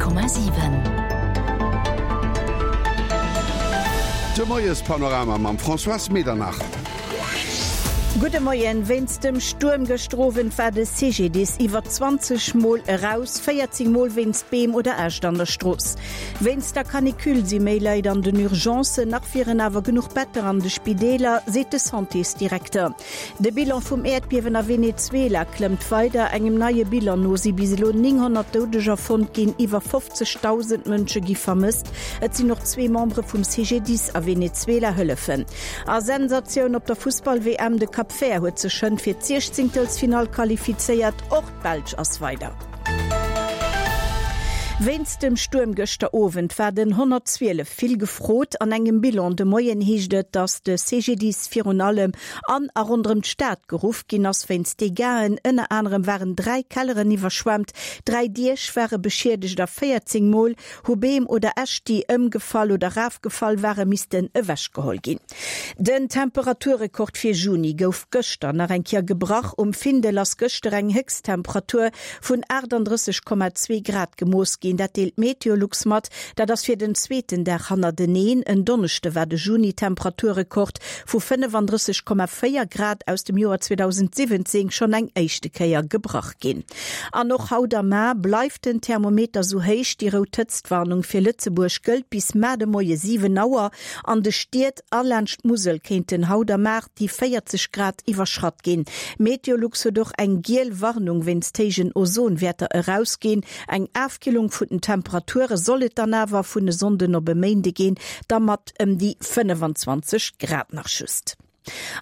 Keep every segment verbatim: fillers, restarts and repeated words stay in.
Honnert Komma siwen. De Moiespanorama mam Françoise Medernach. Gudde Moien, Wéinst dem Stuerm gëschter Owend war de C G D I S iwwer zwanzeg Mol eraus, véierzéng Mol wéinst Beem oder Äscht an der Strooss. Wéinst der Canicule si méi Leit an den Urgencen, nach wieren awer genuch Better an de Spideeler, seet de Santésdirekter. De Bilan vum Äerdbiewen a Venezuela klëmmt weider. Engem neie Bilan no si bis elo nénghonnert Doudeger fonnt ginn, iwwer fofzegdausend Mënsche gi vermësst. Et sinn och zwee Membere vum C G D I S a Venezuela hëllefen. A Sensatioun op der Fussball-W M, de Cap Vert huet sech schonn fir d'Siechzéngtelsfinall qualifizéiert, och d'Belsch ass weider. Wéinst dem Stuerm gëschter Owend war den honnertzwielef vill gefrot. An engem Bilan de Moien heescht et, datt de C G D I S virun allem an a ronderëm d'Stad geruff ginn ass wéinst Dégâten. Ënner anerem waren dräi Kelleren iwwerschwemmt, dräi Diech ware beschiedegt a véierzéng Mol hu Beem oder Äscht, déi ëmgefall oder erafgefall waren, missten ewechgeholl ginn. Den Temperaturrekord fir Juni gouf gëschter nach eng Kéier gebrach. Um Findel ass gëschter eng Héchsttemperatur vun aachtanddrësseg Komma zwee Grad gemooss ginn. Dat deelt Meteolux mat. Dat ass fir den zweeten Dag hannerteneen. En Donneschde war de Juni-Temperaturrekord vu fënnefandrësseg Komma véier Grad aus dem Joer zweedausendsiwwenzéng schonn eng éischte Kéier gebrach ginn. An och haut a mar bleift den Thermometer sou héich. Déi rout Hëtztwarnung fir Lëtzebuerg gëllt bis mar de Moie siwen Auer. An de Stied a laanscht d'Musel kéinten haut a mar déi véierzeg Grad iwwerschratt ginn. Meteolux huet och eng giel Warnung wéinst héijen Ozonwäerter erausginn. Eng Afkillung vun den Temperature soll et dann awer vun e Sonnden op e Méinde ginn, da mat ëm déi fënnefenzwanzeg Grad nach just.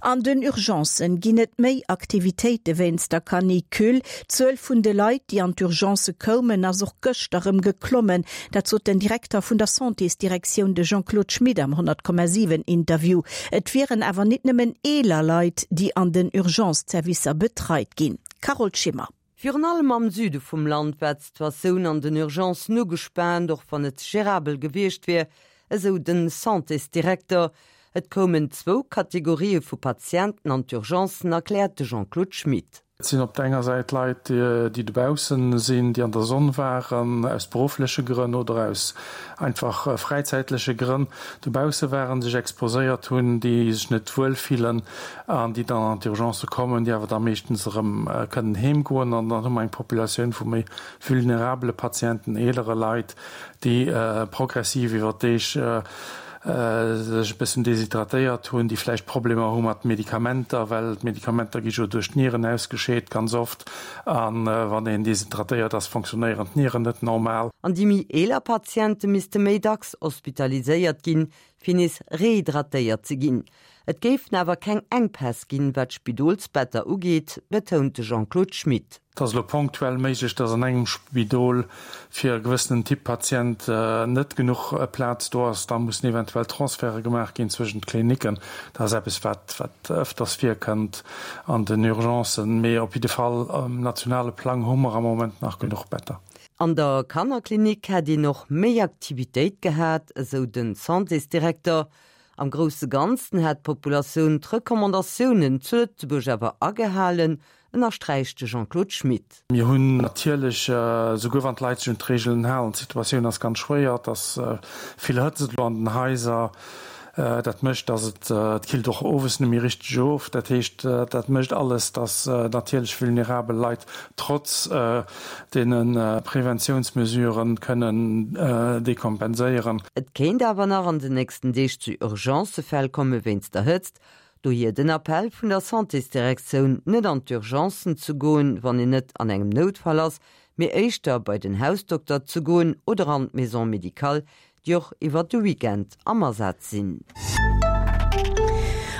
An den Urgencen ginn et méi Aktivitéite wéinst der Canicule. D'Zuel vun de Leit, déi an d'Urgence koumen, ass och gëschter erëm geklommen. Dat sot den Direkter vun der Santésdirektioun, de Jean-Claude Schmit am honnert Komma siwen Interview. Et wieren awer net nëmmen eeler Leit, déi an den Urgence-Servicer betreit ginn. Carole Schimmer. Virun allem am Süde vum Land war d'Situatioun an den Urgencen ugespaant, och wann et gérabel gewiescht wier, esou den Santésdirekter. Et koumen zwou Kategorië vu Patienten an d'Urgencen, erkläert de Jean-Claude Schmit. Et sinn op der enger Säit Leit, déi dobaussen sinn, déi an der Sonn waren, aus beruffleche Grënn oder aus einfach fräizäitleche Grënn dobausse waren, sech exposéiert hunn, déi sech net wuel fillen an déi dann an d'Urgence kommen, déi awer da meeschtens erëm kënnen heemgoen. An dann hu mer eng Populatioun vu méi vulnerabele Patienten, eelere Leit, déi progressiv iwwer d'Deeg sech e bëssen deshydratéiert hunn, déi vläicht Problemer hu mat Medikamenter, well d'Medikamenter gi jo duerch d'Nieren ausgescheet ganz oft, a wann een deshydratéiert ass, funktionéieren d'Nieren net normal. An déi méi eeler Patiente misste méi dacks hospitaliséiert ginn, fir nees rehydratéiert ze ginn. Et géifen awer keng Enkpäss ginn, wat d'Spidolsbetter ugeet, betount de Jean-Claude Schmit. Et ass elo ponktuell méiglech, dass an engem Spidol fir e gewëssenen Typ Patient net genuch Plaz do ass. Da mussen eventuell Transferte gemaach ginn zwëschent d'Klinicken. Dat ass eppes, wat wat ëfters virkënnt an den Urgencen. Mee op jidde Fall um nationale Plang hu mer am Moment nach genuch Better. An der Kannerklinik hätt een och méi Aktivitéit gehat, esou den Santésdirekter. Am grousse Ganzen hätt d'Populatioun d'Recommandatiounen zu Lëtzebuerg awer agehalen, ënnersträicht de Jean-Claude Schmit. Mir hunn natierlech, souguer wann d'Leit sech un d'Reegelen halen, d'Situatioun ass ganz schwéier, et ass vill Hëtzt elo an den Haiser, dat mécht, datt et, et killt och owes net méi richteg of. Dat heescht, dat mécht alles, datt natierlech vulnerabel Leit trotz deene Preventiounsmesuren kënnen dekompenséieren. Et kéint awer nach an den nächsten Deeg zu Urgencefäll komme wéinst der Hëtzt. Dohier den Appell vun der Santésdirektioun, net an d'Urgencen ze goen, wann een net an engem Noutfall ass, mee éischter bei den Hausdokter ze goen oder an d'Maison médicale, déi och iwwer de Weekend am Asaz sinn.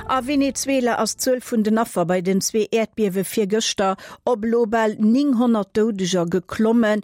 A Venezuela ass d'Zuel vun den Affer bei den zwee Äerdbiewe virgëschter op elo bal nénghonnert Doudeger geklommen.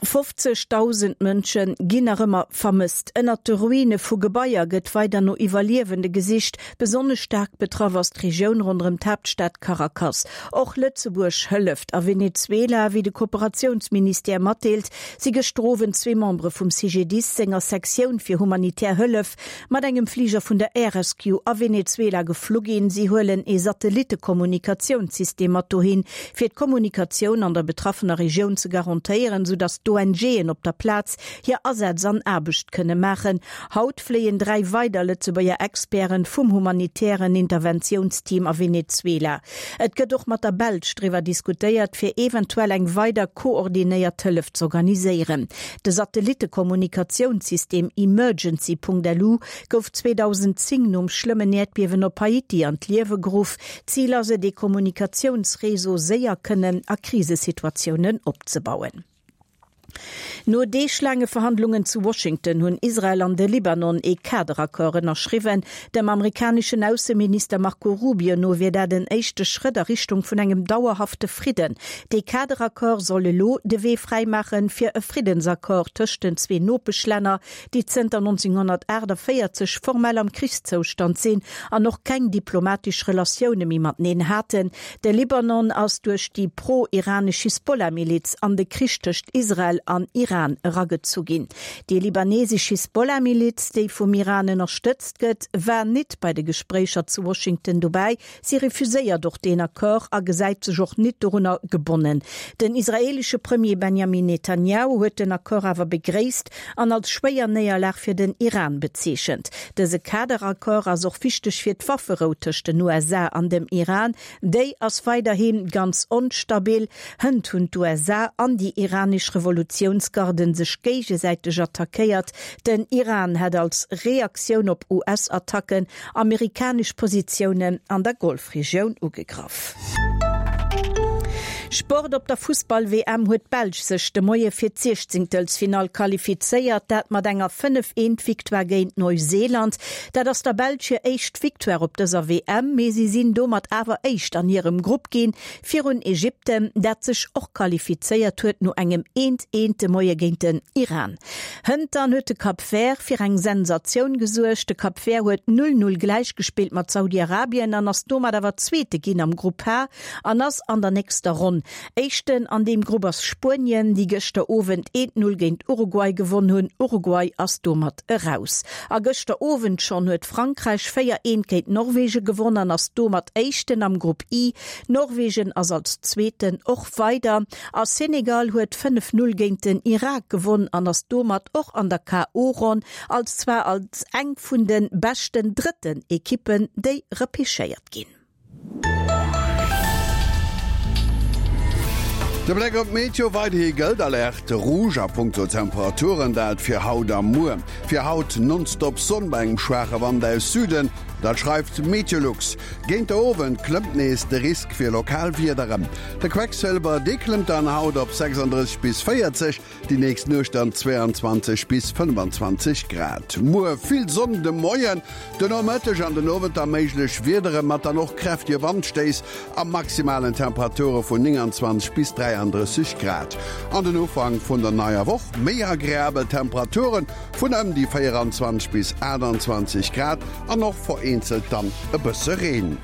fofzegdausend Mënsche ginn nach ëmmer vermësst. Ënnert de Ruine vu Gebaier gëtt weider no Iwwerliewende gesicht. Besonnesch staark betraff ass d'Regioun ronderëm d'Haaptstad Caracas. Och Lëtzebuerg hëlleft a Venezuela, wéi de Kooperatiounsministère matdeelt, si gëschter Owend zwee Membere vum C G D I S senger Sektioun fir humanitär Hëllef mat engem Fliger vun der Air Rescue a Venezuela geflu ginn. Si huelen ee Satellittekommunikatiounssystem mat dohin, fir d'Kommunikatioun an der betraffener Regioun ze garantéieren, soudass d'ONGen op der Plaz hir Asätz an Aarbecht kënne maachen. Haut fléien dräi weider Lëtzebuerger Experte vum humanitären Interventiounsteam a Venezuela. Et gëtt och mat der Belsch driwwer diskutéiert, fir eventuell eng weider koordinéiert Hëllef z'organiséieren. De Satellittekommunikatiounssystem Emergency.lu gouf zweedausendzéng nom schlëmmen Äerdbiewen op Haiti an d'Liewe geruff. Zil ass et, ee Kommunikatiounsreseau séier kënnen a Krisesituatiounen opzebauen. No deeglaange Verhandlungen zu Washington hunn Israel an de Libanon ee Kaderaccord ënnerschriwwen. Dem amerikaneschen Ausseminister Marco Rubio no wier dat en éischte Schrëtt a Richtung vun engem dauerhafte Fridden. Dee Kaderaccord soll elo de Wee fräimaache fir e Friddensaccord tëscht den zwee Nopeschlänner, déi zënter nonzénghonnertaachtavéierzeg formell am Krichszoustand sinn an och keng diplomatesch Relatioune méi mateneen haten. De Libanon ass duerch déi pro-iranesch Hisbollah-Miliz an de Krich tëscht Israel an Iran eragezu ginn. Déi libanesesch Hisbollah-Miliz, déi vum Iran ënnerstëtzt gëtt, war nit bei de Gespréicher zu Washington dobäi. Si refuséiert och deen Accord a gesäit sech och nit dorunner gebonnen. Den israeelesche Premier Benjamin Netanjahu huet den Accord awer begréisst an als schwéier Néierlag fir den Iran bezeechent. Dëse Kaderaccord ass och wichteg fir d'Wafferou tëscht den U S A an dem Iran. Déi ass weiderhi ganz onstabil. Hënt hunn d'U S A an déi iranesch Revolutiounsgarden sech géigesäiteg attackéiert. Den Iran hätt als Reaktioun op U S-Attacken amerikanesch Positiounen an der Golfregioun ugegraff. Sport, Op der Fussball-W M huet d'Belsch sech de Moie fir d'Siechzéngtelsfinall qualifizéiert, dat mat enger fënnef-eent-Victoire géint Neuseeland. Dat ass der Belsch hir éischt Victoire op dëser W M, mee si sinn domat awer Éischt an hirem Grupp ginn, virun Ägypten, dat sech och qualifizéiert huet no engem eent-eent de Moie géint den Iran. Hënt dann huet de Cap Vert fir eng Sensatioun gesuergt. De Cap Vert huet null-null gläichgespillt mat Saudi-Arabien an ass domat awer Zweete ginn am Grupp H an ass an der nächster Ronn. Éischten an deem Grupp ass Spuenien, déi gëschter Owend eent-null géint Uruguay gewonn hunn. Uruguay ass domat eraus. A gëschter Owend schonn huet Frankräich véier-eent géint Norwegen gewonn an ass domat Éischten am Grupp I. Norwegen ass als Zweeten och weider. A Senegal huet fënnef-null géint den Irak gewonn an ass domat och an der K O. Ronn, als zwar als eng vun de beschten drëtten Ekippen, déi repechéiert ginn. De Bléck op d'Meteo, Weiderhi gëllt Alerte rouge a punkto Temperaturen, dat fir haut a muer. Fir haut nonstop Sonn bei engem schwaache Wand aus Süden, dat schreift Meteolux. Géint de Owend klëmmt nees de Risk fir lokal Wiederen. De Quecksëlwer, dee klëmmt dann haut op sechsanddrësseg bis véierzeg, déi nächst Nuecht dann zweiandzwanzeg bis fënnfanzwanzeg Grad. Muer vill Sonn de Moien, den Nomëtteg an den Owend da méiglech Wiedere mat dann och kräftege Wandstéiss a maximalen Temperature vun nénganzwanzeg bis dräiandrësseg Grad. An den Ufank vun der neier Woch méi agreabel Temperature vun ëm déi véieranzwanzeg bis aachtanzwanzeg Grad an och vereenzelt dann e bësse Reen.